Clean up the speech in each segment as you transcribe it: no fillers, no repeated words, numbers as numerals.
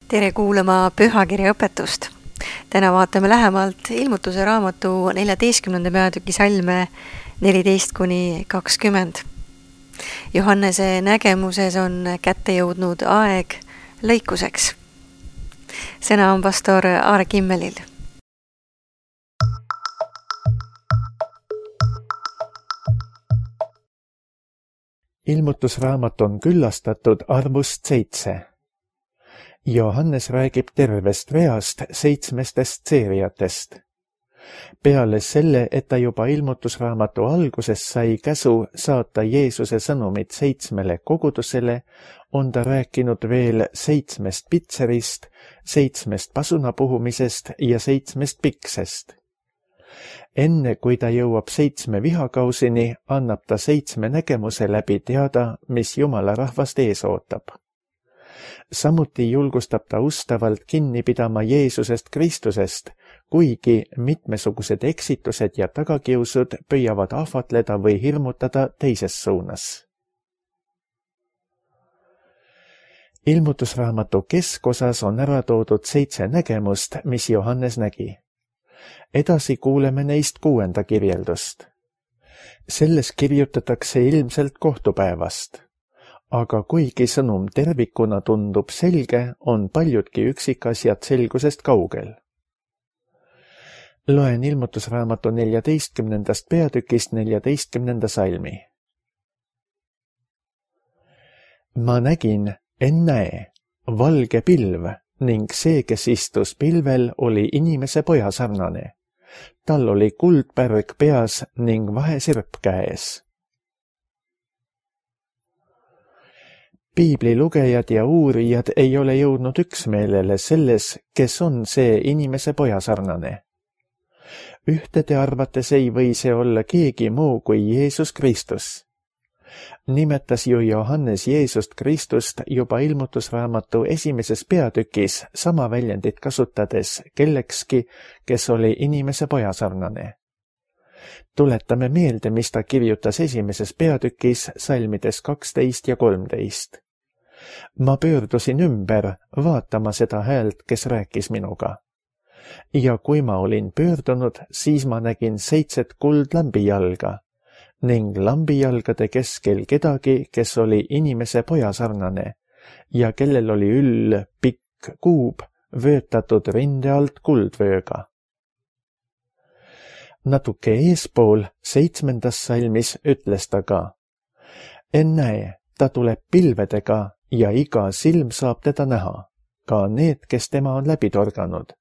Tere kuulama pühakirja õpetust. Täna vaatame lähemalt ilmutuse raamatu 14. peatüki salme 14-20. Johannese nägemuses on kätte jõudnud aeg lõikuseks. Sõna on pastor Aare Kimmelil. Ilmutusraamat on küllastatud arvust 7. Johannes räägib tervest reast 7 seeriatest. Peale selle, et ta juba ilmutusraamatu alguses sai käsu saata Jeesuse sõnumit 7 kogudusele, on ta rääkinud veel 7 pitserist, 7 pasunapuhumisest ja 7 piksest. Enne kui ta jõuab 7 vihakausini, annab ta 7 nägemuse läbi teada, mis Jumala rahvast ees ootab. Samuti julgustab ta ustavalt kinni pidama Jeesusest Kristusest, kuigi mitmesugused eksitused ja tagakiusud püüavad ahvatleda või hirmutada teises suunas. Ilmutusraamatu keskosas on ära toodud 7 nägemust, mis Johannes nägi. Edasi kuuleme neist 6. kirjeldust. Selles kirjutatakse ilmselt kohtupäevast. Aga kuigi sõnum tervikuna tundub selge, on paljudki üksikasjad selgusest kaugel. Loen ilmutusraamatu 14. peatükist 14. salmi. Ma nägin, ennäe, valge pilv ning see, kes istus pilvel, oli inimese poja sarnane. Tal oli kuldpärg peas ning vahesirp käes. Piiblilugejad ja uurijad ei ole jõudnud üksmeelele selles, kes on see inimese poja sarnane. Ühtede arvates ei või see olla keegi muu kui Jeesus Kristus. Nimetas ju Johannes Jeesust Kristust juba ilmutusraamatu 1. peatükis sama väljendit kasutades kellekski, kes oli inimese poja sarnane. Tuletame meelde, mis ta kirjutas 1. peatükis salmides 12 ja 13. Ma pöördusin ümber vaatama seda häält, kes rääkis minuga. Ja kui ma olin pöördunud, siis ma nägin 7 kuldlambijalga ning lambijalgade keskel kedagi, kes oli inimese poja sarnane ja kellel oli üll pikk kuub vöötatud rinde alt kuldvööga. Natuke eespool 7. salmis ütles ta ka. Ennäe, ta tuleb pilvedega ja iga silm saab teda näha, ka need, kes tema on läbi torganud,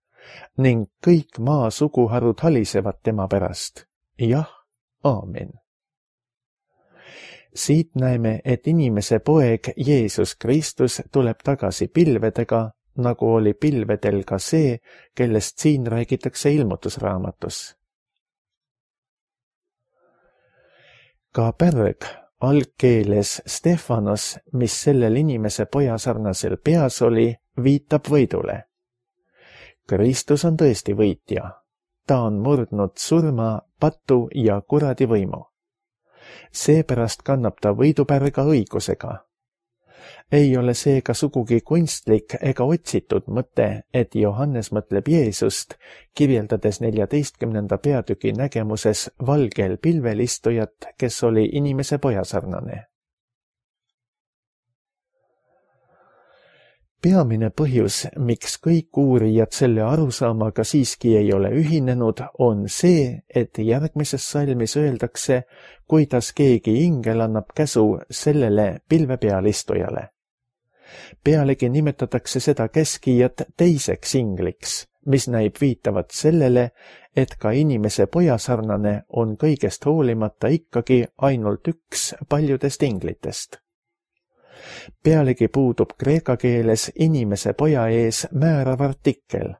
ning kõik maa suguharud halisevad tema pärast. Jah, aamen. Siit näeme, et inimese poeg Jeesus Kristus tuleb tagasi pilvedega, nagu oli pilvedel ka see, kellest siin räägitakse ilmutusraamatus. Ka pärg algkeeles Stefanos, mis sellel inimese poja sarnasel peas oli, viitab võidule. Kristus on tõesti võitja. Ta on murdnud surma, patu ja kuradi võimu. Seepärast kannab ta võidupärga õigusega. Ei ole seega sugugi kunstlik ega otsitud mõte, et Johannes mõtleb Jeesust, kirjeldades 14. peatüki nägemuses valgel pilvel istujat, kes oli inimese poja sarnane. Peamine põhjus, miks kõik uurijad selle arusaamaga siiski ei ole ühinenud, on see, et järgmises salmis öeldakse, kuidas keegi ingel annab käsu sellele pilve peal istujale. Pealegi nimetatakse seda käskijat teiseks ingliks, mis näib viitavat sellele, et ka inimese poja sarnane on kõigest hoolimata ikkagi ainult üks paljudest inglitest. Pealegi puudub kreeka keeles inimese poja ees määrav artikkel.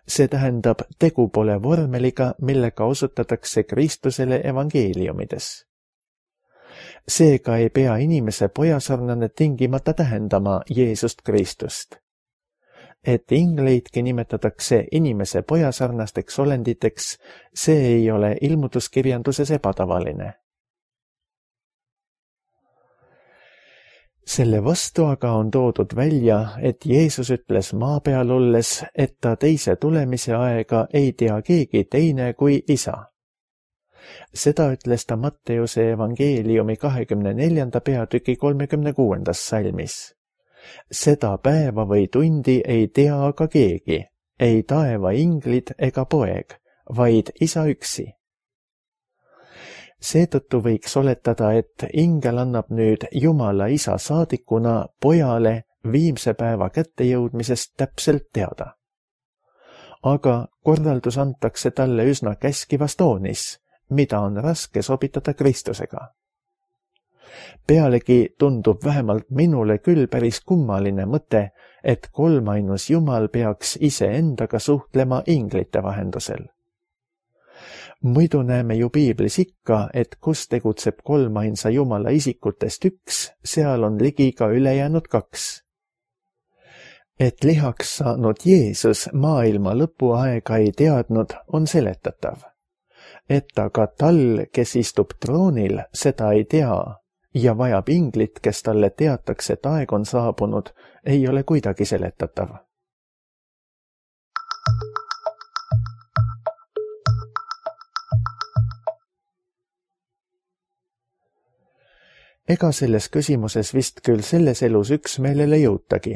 See tähendab, tegu pole vormeliga, millega osutatakse Kristusele evangeeliumides. Seega ei pea inimese poja sarnane tingimata tähendama Jeesust Kristust. Et ingleidki nimetatakse inimese poja sarnasteks olenditeks, see ei ole ilmutuskirjanduses ebatavaline. Selle vastu aga on toodud välja, et Jeesus ütles maa peal olles, et ta teise tulemise aega ei tea keegi teine kui Isa. Seda ütles ta Matteuse evangeeliumi 24. peatüki 36. salmis. Seda päeva või tundi ei tea aga keegi, ei taeva inglid ega poeg, vaid Isa üksi. Seetõttu võiks oletada, et ingel annab nüüd Jumala Isa saadikuna pojale viimse päeva kättejõudmisest täpselt teada. Aga korraldus antakse talle üsna käskivas toonis, mida on raske sobitada Kristusega. Pealegi tundub vähemalt minule küll päris kummaline mõte, et kolmainus Jumal peaks iseendaga suhtlema inglite vahendusel. Muidu näeme ju piiblis ikka, et kus tegutseb kolmainsa Jumala isikutest üks, seal on ligi ka ülejäänud kaks. Et lihaks saanud Jeesus maailma lõpuaega ei teadnud, on seletatav. Et aga tal, kes istub troonil, seda ei tea ja vajab inglit, kes talle teataks, et aeg on saabunud, ei ole kuidagi seletatav. Ega selles küsimuses vist küll selles elus üksmeelele jõutagi.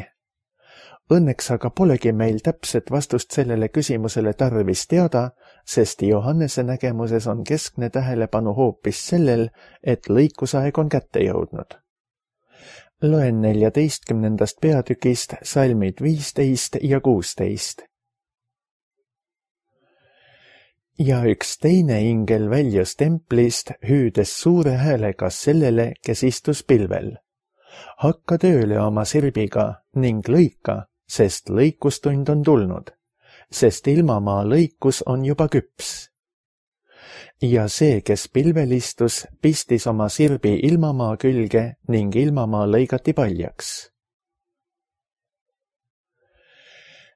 Õnneks aga polegi meil täpset vastust sellele küsimusele tarvis teada, sest Johannese nägemuses on keskne tähelepanu hoopis sellel, et lõikusaeg on kätte jõudnud. Loen 14. peatükist salmid 15 ja 16. Ja üks teine ingel väljus templist, hüüdes suure häälega sellele, kes istus pilvel. Hakka tööle oma sirbiga ning lõika, sest lõikustund on tulnud, sest ilmamaa lõikus on juba küps. Ja see, kes pilvel istus, pistis oma sirbi ilmamaa külge ning ilmamaa lõigati paljaks.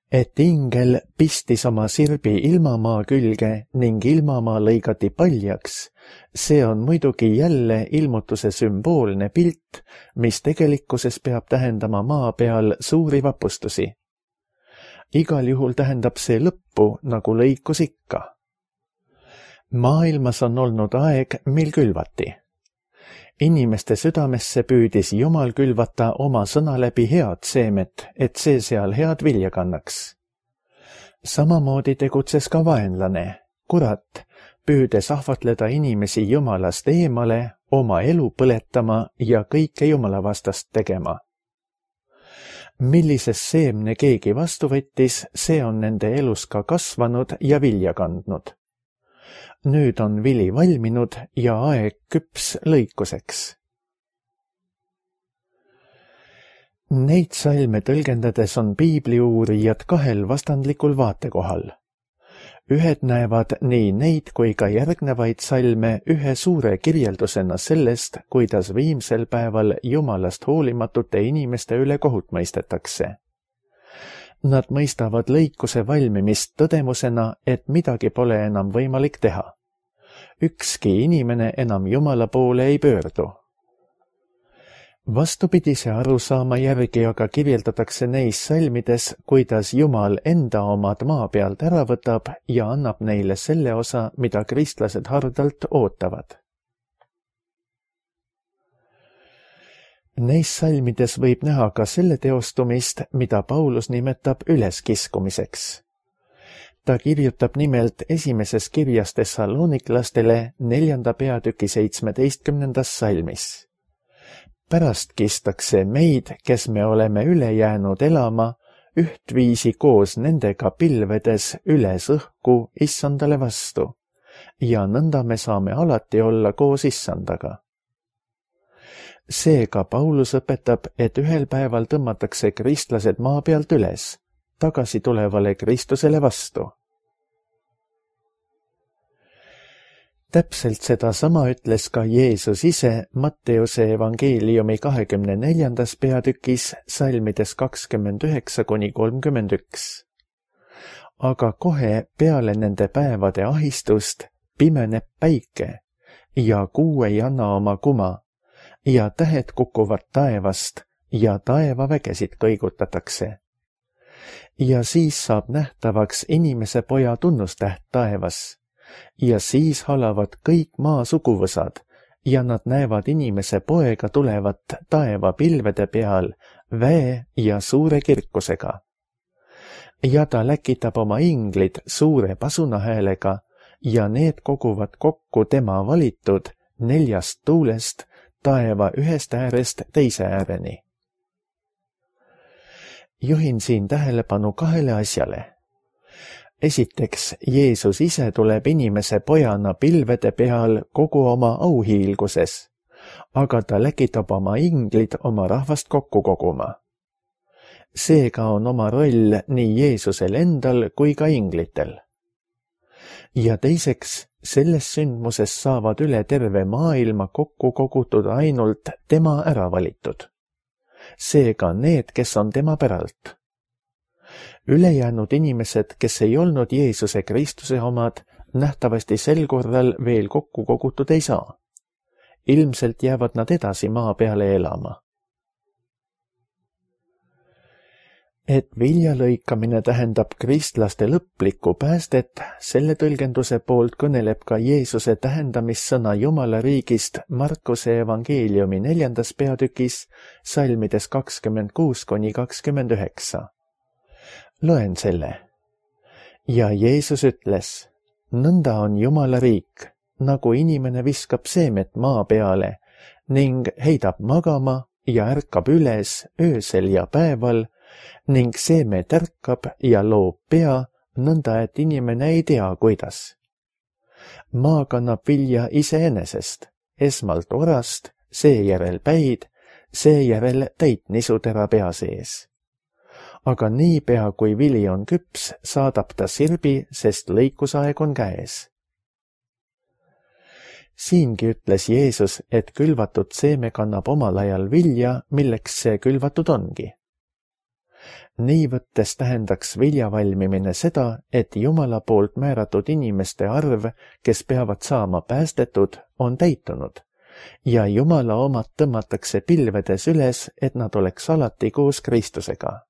Et ingel pistis oma sirbi ilmamaa külge ning ilmamaa lõigati paljaks, see on muidugi jälle ilmutuse sümboolne pilt, mis tegelikkuses peab tähendama maa peal suuri vapustusi. Igal juhul tähendab see lõppu, nagu lõikus ikka. Maailmas on olnud aeg, mil külvati. Inimeste südamesse püüdis Jumal külvata oma sõna läbi head seemet, et see seal head vilja kannaks. Samamoodi tegutses ka vaenlane, kurat, püüdes ahvatleda inimesi Jumalast eemale, oma elu põletama ja kõike Jumala vastast tegema. Millises seemne keegi vastu võttis, see on nende elus ka kasvanud ja vilja kandnud. Nüüd on vili valminud ja aeg küps lõikuseks. Neid salme tõlgendades on piibliuurijad kahel vastandlikul vaatekohal. Ühed näevad nii neid kui ka järgnevaid salme ühe suure kirjeldusena sellest, kuidas viimsel päeval Jumalast hoolimatute inimeste üle kohut mõistetakse. Nad mõistavad lõikuse valmimist tõdemusena, et midagi pole enam võimalik teha. Ükski inimene enam Jumala poole ei pöördu. Vastupidise arusaama järgi aga kirjeldatakse neis salmides, kuidas Jumal enda omad maa pealt ära võtab ja annab neile selle osa, mida kristlased hardalt ootavad. Neis salmides võib näha ka selle teostumist, mida Paulus nimetab üleskiskumiseks. Ta kirjutab nimelt esimeses kirjas Thessaloniklastele 4. peatüki 17. salmis. Pärast kistakse meid, kes me oleme üle jäänud elama, ühtviisi koos nendega pilvedes üles õhku issandale vastu, ja nõnda me saame alati olla koos issandaga. Seega Paulus õpetab, et ühel päeval tõmmatakse kristlased maa pealt üles, tagasi tulevale Kristusele vastu. Täpselt seda sama ütles ka Jeesus ise Matteuse evangeeliumi 24. peatükis salmides 29–31. Aga kohe peale nende päevade ahistust pimeneb päike ja kuu ei anna oma kuma ja tähed kukuvad taevast ja taevavägesid kõigutatakse. Ja siis saab nähtavaks inimese poja tunnustäht taevas ja siis halavad kõik maa suguvõsad ja nad näevad inimese poega tulevat taeva pilvede peal väe ja suure kirkusega. Ja ta läkitab oma inglid suure pasunahäälega ja need koguvad kokku tema valitud 4 tuulest taeva ühest äärest teise ääreni. Juhin siin tähelepanu 2 asjale. Esiteks, Jeesus ise tuleb inimese pojana pilvede peal kogu oma auhiilguses, aga ta läkitab oma inglid oma rahvast kokku koguma. Seega on oma roll nii Jeesusel endal kui ka inglitel. Ja teiseks, selles sündmuses saavad üle terve maailma kokku kogutud ainult tema äravalitud. Seega need, kes on tema päralt. Ülejäänud inimesed, kes ei olnud Jeesuse Kristuse omad, nähtavasti sel korral veel kokku kogutud ei saa. Ilmselt jäävad nad edasi maa peale elama. Et vilja lõikamine tähendab kristlaste lõplikku päästet, selle tõlgenduse poolt kõneleb ka Jeesuse tähendamissõna Jumala riigist Markuse evangeeliumi 4. peatükis, salmides 26–29. Loen selle. Ja Jeesus ütles, nõnda on Jumala riik, nagu inimene viskab seemet maa peale ning heidab magama ja ärkab üles öösel ja päeval ning seeme tärkab ja loob pea, nõnda et inimene ei tea, kuidas. Maa kannab vilja iseenesest, esmalt orast, seejärel päid, seejärel täitnisutera pea sees. Aga niipea, kui vili on küps, saadab ta sirbi, sest lõikusaeg on käes. Siingi ütles Jeesus, et külvatud seeme kannab omal ajal vilja, milleks see külvatud ongi. Nii võttes tähendaks vilja valmimine seda, et Jumala poolt määratud inimeste arv, kes peavad saama päästetud, on täitunud ja Jumala omad tõmmatakse pilvedes üles, et nad oleks alati koos Kristusega.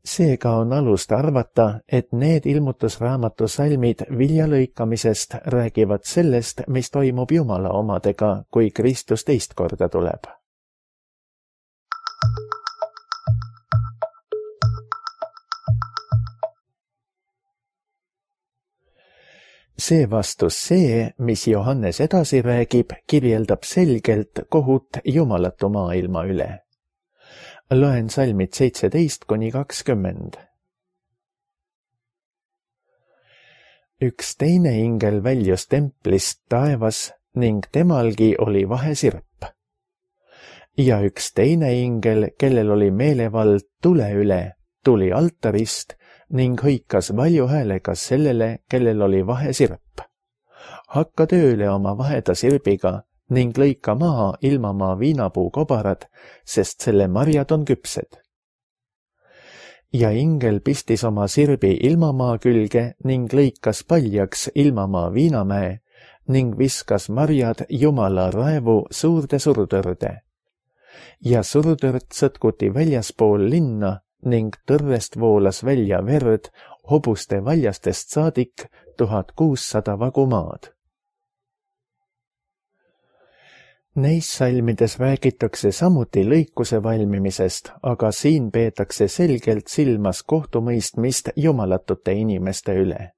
Seega on alust arvata, et need ilmutusraamatu salmid vilja lõikamisest räägivad sellest, mis toimub Jumala omadega, kui Kristus teist korda tuleb. Seevastus see, mis Johannes edasi räägib, kirjeldab selgelt kohut jumalatu maailma üle. Loen salmid 17–20. Üks teine ingel väljus templist taevas ning temalgi oli vahesirp. Ja üks teine ingel, kellel oli meelevald tule üle, tuli altarist ning hõikas valju häälega sellele, kellel oli vahesirp. Hakka tööle oma vaheda sirbiga ning lõika maha ilmamaa viinapuu kobarad, sest selle marjad on küpsed. Ja ingel pistis oma sirbi ilmamaa külge ning lõikas paljaks ilmamaa viinamäe ning viskas marjad Jumala raevu suurde surutõrde. Ja surutõrd sõtkuti väljaspool linna ning tõrrest voolas välja verd hobuste valjastest saadik 1600 vagu maad. Neis salmides räägitakse samuti lõikuse valmimisest, aga siin peetakse selgelt silmas kohtumõistmist jumalatute inimeste üle.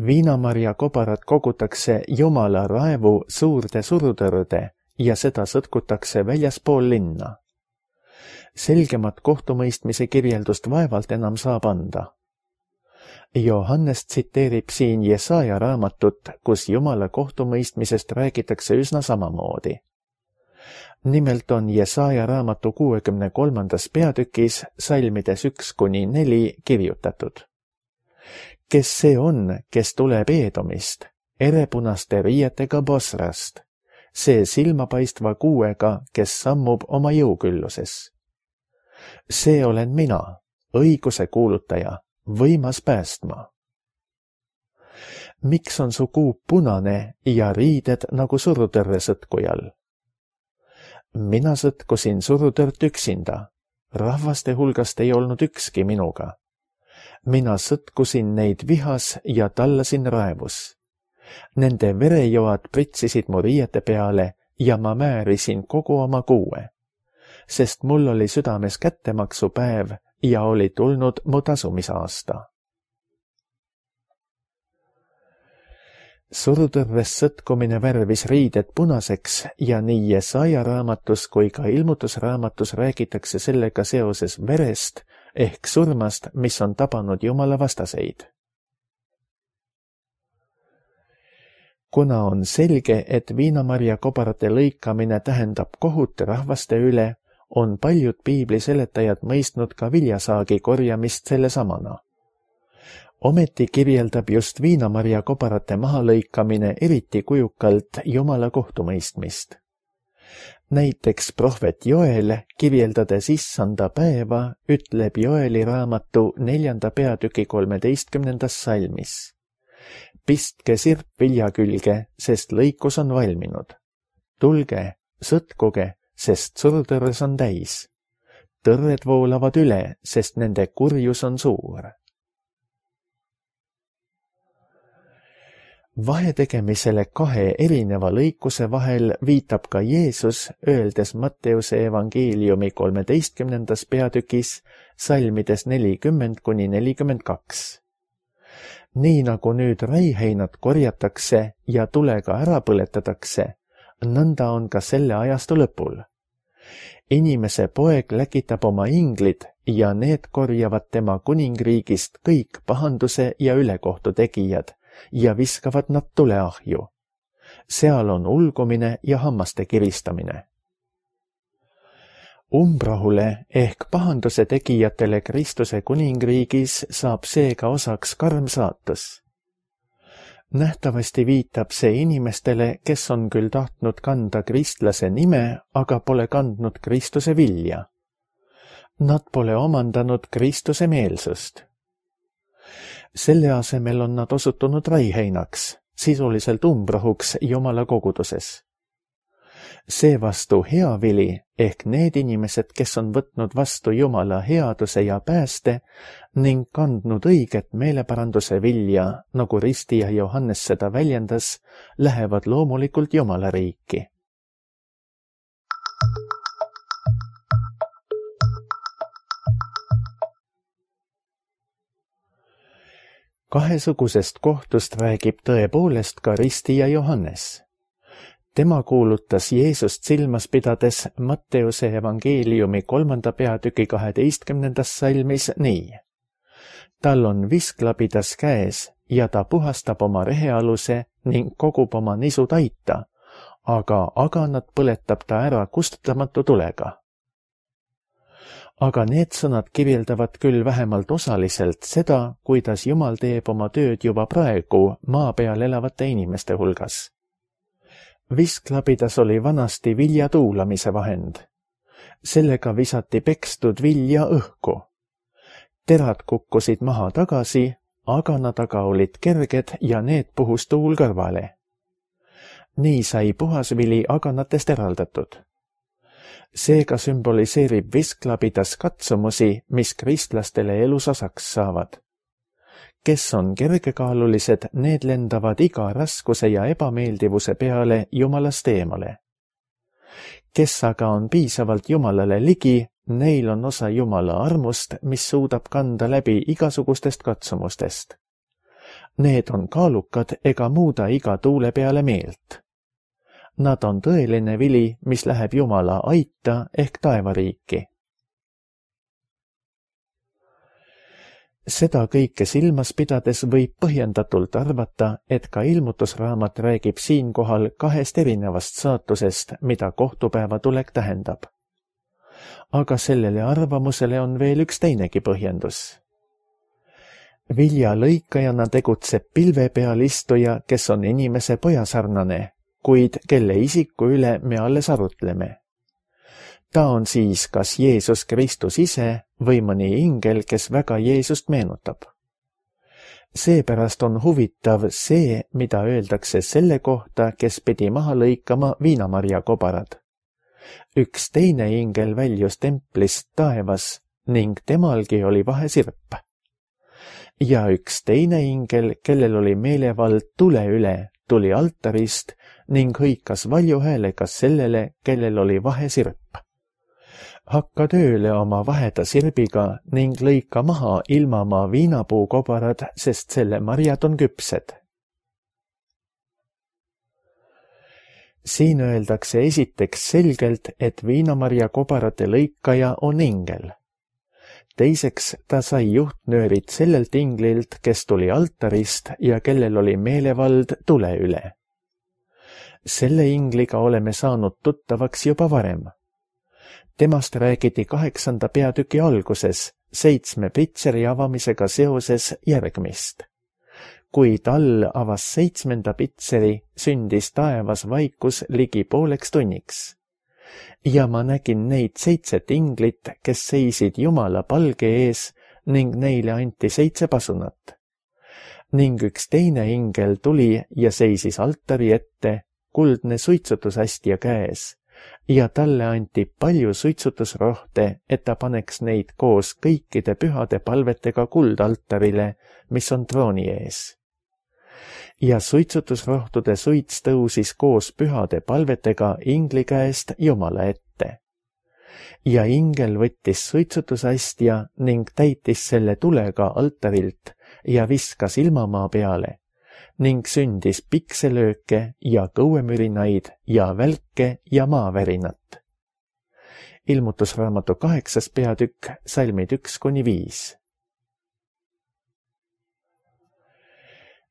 Viinamarja kobarad kogutakse Jumala raevu suurde surutõrde ja seda sõtkutakse väljaspool linna. Selgemat kohtumõistmise kirjeldust vaevalt enam saab anda. Johannes tsiteerib siin Jesaja raamatut, kus Jumala kohtumõistmisest räägitakse üsna samamoodi. Nimelt on Jesaja raamatu 63. peatükis salmides 1–4 kirjutatud. Kes see on, kes tuleb Eedomist, erepunaste riietega Bosrast, see silmapaistva kuuega, kes sammub oma jõukülluses. See olen mina, õiguse kuulutaja, võimas päästma. Miks on su kuup punane ja riided nagu surutõrre sõtkujal? mina sõtkusin surutõrt üksinda, rahvaste hulgast ei olnud ükski minuga. Mina sõtkusin neid vihas ja tallasin raevus. Nende verejoad pritsisid mu riiete peale ja ma määrisin kogu oma kuue, sest mul oli südames kättemaksupäev ja oli tulnud mu tasumisaasta. Surutõrres sõtkumine värvis riided punaseks ja nii Jesaja raamatus kui ka ilmutusraamatus räägitakse sellega seoses verest ehk surmast, mis on tabanud Jumala vastaseid. Kuna on selge, et viinamarja kobarate lõikamine tähendab kohut rahvaste üle, on paljud piibli seletajad mõistnud ka viljasaagi korjamist selle samana. Ometi kirjeldab just viinamarja kobarate mahalõikamine eriti kujukalt Jumala kohtumõistmist. Näiteks prohvet Joel, kirjeldades issanda päeva, ütleb Joeli raamatu 4. peatüki 13. salmis. Pistke sirp vilja külge, sest lõikus on valminud. Tulge, sõtkuge, sest surutõrres on täis. Tõrred voolavad üle, sest nende kurjus on suur. Vahetegemisele kahe erineva lõikuse vahel viitab ka Jeesus, öeldes Matteuse evangeeliumi 13. peatükis salmides 40–42. Nii nagu nüüd räiheinad korjatakse ja tulega ära põletatakse, nõnda on ka selle ajastu lõpul. Inimese poeg läkitab oma inglid ja need korjavad tema kuningriigist kõik pahanduse ja ülekohtu tegijad ja viskavad nad tuleahju. Seal on ulgumine ja hammaste kiristamine. Umbrahule ehk pahanduse tegijatele Kristuse kuningriigis saab seega osaks karm saatus. Nähtavasti viitab see inimestele, kes on küll tahtnud kanda kristlase nime, aga pole kandnud Kristuse vilja. Nad pole omandanud Kristuse meelsust. Selle asemel on nad osutunud raiheinaks, sisuliselt umbrahuks Jumala koguduses. Seevastu hea vili ehk need inimesed, kes on võtnud vastu Jumala headuse ja pääste ning kandnud õiget meeleparanduse vilja, nagu ristija Johannes seda väljendas, lähevad loomulikult Jumala riiki. Kahesugusest kohtust räägib tõepoolest ka ristija Johannes. Tema kuulutas Jeesust silmas pidades Matteuse evangeeliumi 3. peatüki 12. salmis nii. Tal on visklabidas käes ja ta puhastab oma rehealuse ning kogub oma nisu taita, aga aganat põletab ta ära kustutamatu tulega. Aga need sõnad kirjeldavad küll vähemalt osaliselt seda, kuidas Jumal teeb oma tööd juba praegu maa peal elavate inimeste hulgas. Visklabidas oli vanasti vilja tuulamise vahend. Sellega visati pekstud vilja õhku. Terad kukkusid maha tagasi, agana taga olid kerged ja need puhus tuul kõrvale. Nii sai puhas vili aganatest eraldatud. Seega sümboliseerib visklabidas katsumusi, mis kristlastele elus osaks saavad. Kes on kergekaalulised, need lendavad iga raskuse ja ebameeldivuse peale Jumalast eemale. Kes aga on piisavalt Jumalale ligi, neil on osa Jumala armust, mis suudab kanda läbi igasugustest katsumustest. Need on kaalukad ega muuda iga tuule peale meelt. Nad on tõeline vili, mis läheb Jumala aita ehk taevariiki. Seda kõike silmas pidades võib põhjendatult arvata, et ka ilmutusraamat räägib siinkohal kahest erinevast saatusest, mida kohtupäeva tulek tähendab. Aga sellele arvamusele on veel üks teinegi põhjendus. Vilja lõikajana tegutseb pilve peal istuja, kes on inimese pojasarnane, kuid kelle isiku üle me alles arutleme. Ta on siis kas Jeesus Kristus ise või mõni ingel, kes väga Jeesust meenutab. Seepärast on huvitav see, mida öeldakse selle kohta, kes pidi maha lõikama viinamarja kobarad. Üks teine ingel väljus templist taevas ning temalgi oli vahesirp. Ja üks teine ingel, kellel oli meelevald tule üle, tuli altarist ning hõikas valju häälega sellele, kellel oli vahesirp. Hakka tööle oma vaheda sirbiga ning lõika maha ilmamaa viinapuukobarad, sest selle marjad on küpsed. Siin öeldakse esiteks selgelt, et viinamarja kobarate lõikaja on ingel. Teiseks ta sai juhtnöörid sellelt inglilt, kes tuli altarist ja kellel oli meelevald tule üle. Selle ingliga oleme saanud tuttavaks juba varem. Temast räägiti 8. peatüki alguses 7 pitseri avamisega seoses järgmist. Kui Tall avas 7. pitseri, sündis taevas vaikus ligi pooleks tunniks. Ja ma nägin neid 7 inglit, kes seisid Jumala palge ees ning neile anti 7 pasunat. Ning üks teine ingel tuli ja seisis altari ette, kuldne suitsutusastja käes, ja talle anti palju suitsutusrohte, et ta paneks neid koos kõikide pühade palvetega kuldaltarile, mis on trooni ees. Ja suitsutusrohtude suits tõusis koos pühade palvetega ingli käest Jumala ette. Ja ingel võttis suitsutusastja ning täitis selle tulega altarilt ja viskas ilmamaa peale ning sündis pikselööke ja kõuemürinaid ja välke ja maavärinat. Ilmutusraamatu 8. peatükk, salmid 1-5.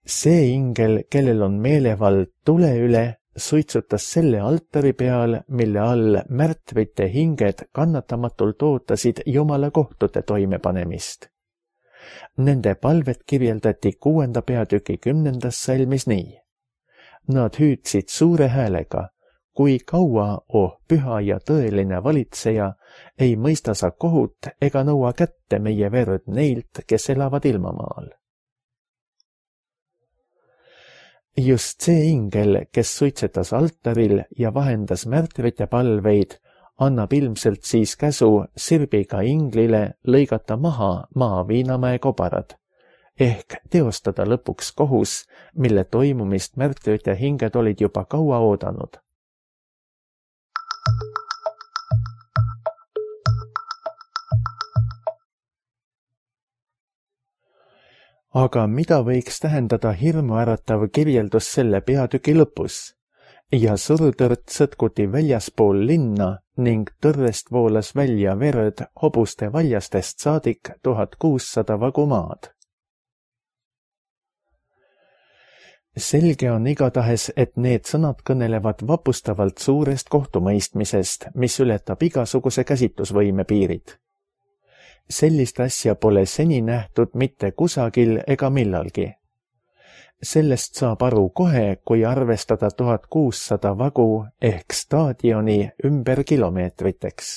See ingel, kellel on meelevald tule üle, suitsutas selle altari peal, mille all märtrite hinged kannatamatult ootasid Jumala kohtute toimepanemist. Nende palvet kirjeldati 6. peatüki 10. salmis nii. Nad hüüdsid suure häälega, kui kaua, oh püha ja tõeline valitseja, ei mõista sa kohut ega nõua kätte meie verd neilt, kes elavad ilmamaal. Just see ingel, kes suitsetas altaril ja vahendas märtrite palveid, annab ilmselt siis käsu sirbiga inglile lõigata maha maa viinamäe kobarad, ehk teostada lõpuks kohus, mille toimumist märtrite hinged olid juba kaua oodanud. Aga mida võiks tähendada hirmuäratav kirjeldus selle peatüki lõpus? Ja surutõrt sõtkuti väljaspool linna ning tõrrest voolas välja verd hobuste valjastest saadik 1600 vagu maad. Selge on igatahes, et need sõnad kõnelevad vapustavalt suurest kohtumõistmisest, mis ületab igasuguse käsitlusvõime piirid. Sellist asja pole seni nähtud mitte kusagil ega millalgi. Sellest saab aru kohe, kui arvestada 1600 vagu ehk staadioni ümber kilomeetriteks.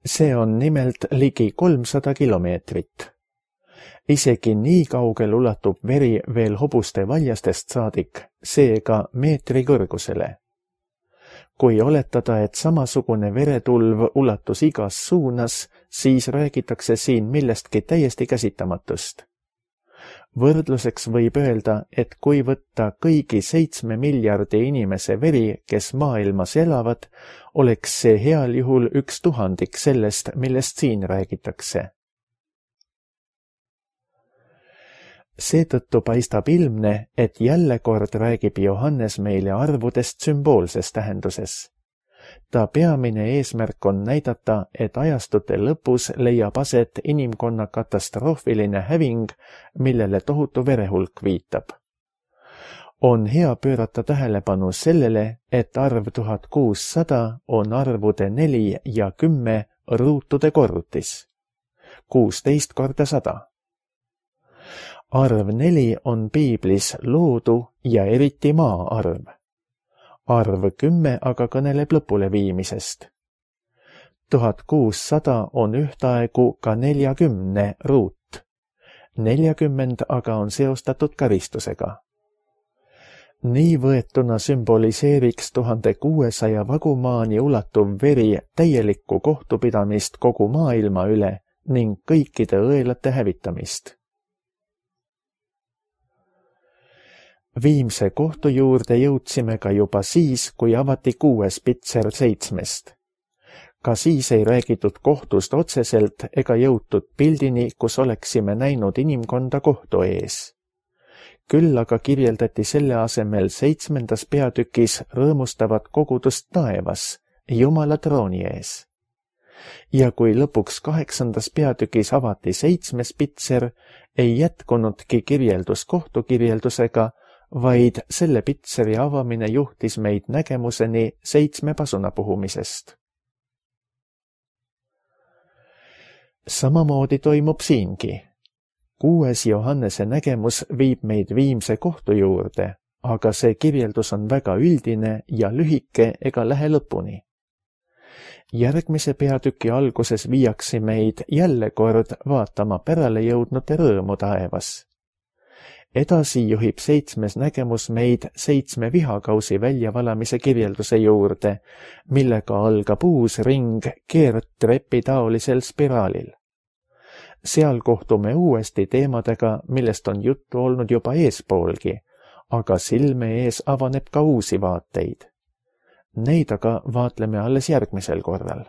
See on nimelt ligi 300 kilomeetrit. Isegi nii kaugel ulatub veri veel hobuste valjastest saadik, seega meetri kõrgusele. Kui oletada, et samasugune veretulv ulatus igas suunas, siis räägitakse siin millestki täiesti käsitamatust. Võrdluseks võib öelda, et kui võtta kõigi 7 miljardi inimese veri, kes maailmas elavad, oleks see heal juhul 1/1000 sellest, millest siin räägitakse. Seetõttu paistab ilmne, et jälle kord räägib Johannes meile arvudest sümboolses tähenduses. Ta peamine eesmärk on näidata, et ajastute lõpus leiab aset inimkonna katastroofiline häving, millele tohutu verehulk viitab. On hea pöörata tähelepanu sellele, et arv 1600 on arvude 4 ja 10 ruutude korrutis. 16 korda 100. Arv 4 on piiblis loodu ja eriti maa arv. Arv 10 aga kõneleb lõpuleviimisest. 1600 on ühtaegu ka 40 ruut. 40 aga on seostatud karistusega. Nii võetuna sümboliseeriks 1600 vagumaani ulatuv veri täielikku kohtupidamist kogu maailma üle ning kõikide õelate hävitamist. Viimse kohtu juurde jõudsime ka juba siis, kui avati 6. pitser 7. Ka siis ei räägitud kohtust otseselt ega jõutud pildini, kus oleksime näinud inimkonda kohtu ees. Küll aga kirjeldati selle asemel 7. peatükis rõõmustavat kogudust taevas, Jumala trooni ees. Ja kui lõpuks 8. peatükis avati 7. pitser, ei jätkunudki kirjeldus kohtukirjeldusega, vaid selle pitseri avamine juhtis meid nägemuseni 7 pasuna puhumisest. Samamoodi toimub siingi. 6. Johannese nägemus viib meid viimse kohtu juurde, aga see kirjeldus on väga üldine ja lühike ega lähe lõpuni. Järgmise peatüki alguses viiakse meid jälle kord vaatama pärale jõudnute rõõmu taevas. Edasi juhib 7. nägemus meid 7 vihakausi väljavalamise kirjelduse juurde, millega algab uus ring keerdtrepi taolisel spiraalil. Seal kohtume uuesti teemadega, millest on juttu olnud juba eespoolgi, aga silme ees avaneb ka uusi vaateid. Neid aga vaatleme alles järgmisel korral.